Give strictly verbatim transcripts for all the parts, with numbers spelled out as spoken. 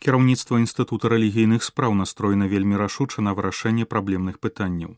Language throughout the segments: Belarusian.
Кіраўніцтва Інстытута рэлігійных спраў настроена вельмі рашуча на вырашэнне праблемных пытанняў.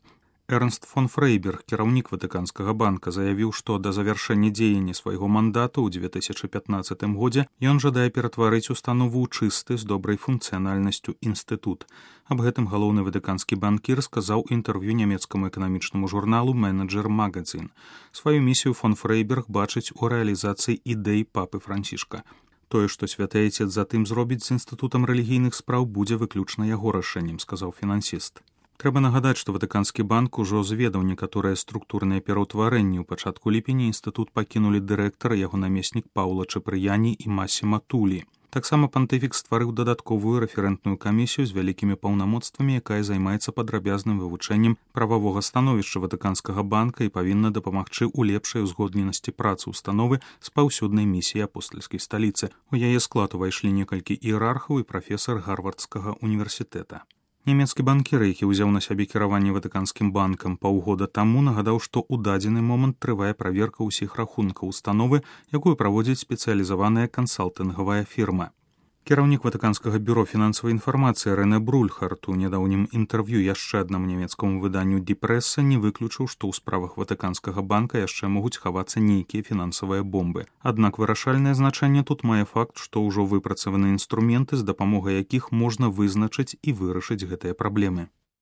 Эрнст фон Фрейберг, кіраўнік Ватыканскага банка, заявіў, што да завяршэння дзеяння свайго мандату ў дзве тысячы пятнаццатым годзе ён жадае ператварыць установу ў чысты з добрай функцыянальнасцю інстытут. Аб гэтым галоўны ватыканскі банкір сказаў інтэрв'ю нямецкаму эканамічнаму журналу «Менеджер Магазин». Сваю місію фон Фрейберг бачыць у рэалізацыі ідэй папы Францішка. Тое, што святы айцец затым зробіць з інстытутам рэлігійных спраў, будзе выключна яго рашэннем, сказаў фінансіст. Трэба нагадаць, што Ватыканскі банк ужо зведаў некаторыя структурныя пераўтварэнні. У пачатку ліпеня інстытут пакінулі дырэктар, яго намеснік Паўла Чапрыяні і Масіма Тулі. Таксама пантыфік стварыў дадатковую рэферэнтную камісію з вялікімі паўнамоцтвамі, якая займаецца падрабязным вывучэннем прававога становішча Ватыканскага банка і павінна дапамагчы ў лепшай узгодненасці працы ўстановы з паўсюднай місіяй апостальскай сталіцы. У яе склад увайшлі некалькі іерархаў і прафесар Гарвардскага універсітэта. Нямецкі банкір, які ўзяў на сябе кіраванне Ватыканскім банкам паўгода таму, нагадаў, што ў дадзены момант трывае праверка ўсіх рахункаў установы, якую праводзіць спецыялізаваная кансалтынгавая фірма. Кіраўнік Ватыканскага бюро фінансавай інфармацыі Рэне Брульхарт у нядаўнім інтэрв'ю яшчэ аднаму нямецкаму выданню «Ді Прэса» не выключыў, што ў справах Ватыканскага банка яшчэ могуць хавацца нейкія фінансавыя бомбы. Аднак вырашальнае значэнне тут мае факт, што ўжо выпрацаваны інструменты, з дапамогай якіх можна вызначыць і вырашыць гэтыя праблемы.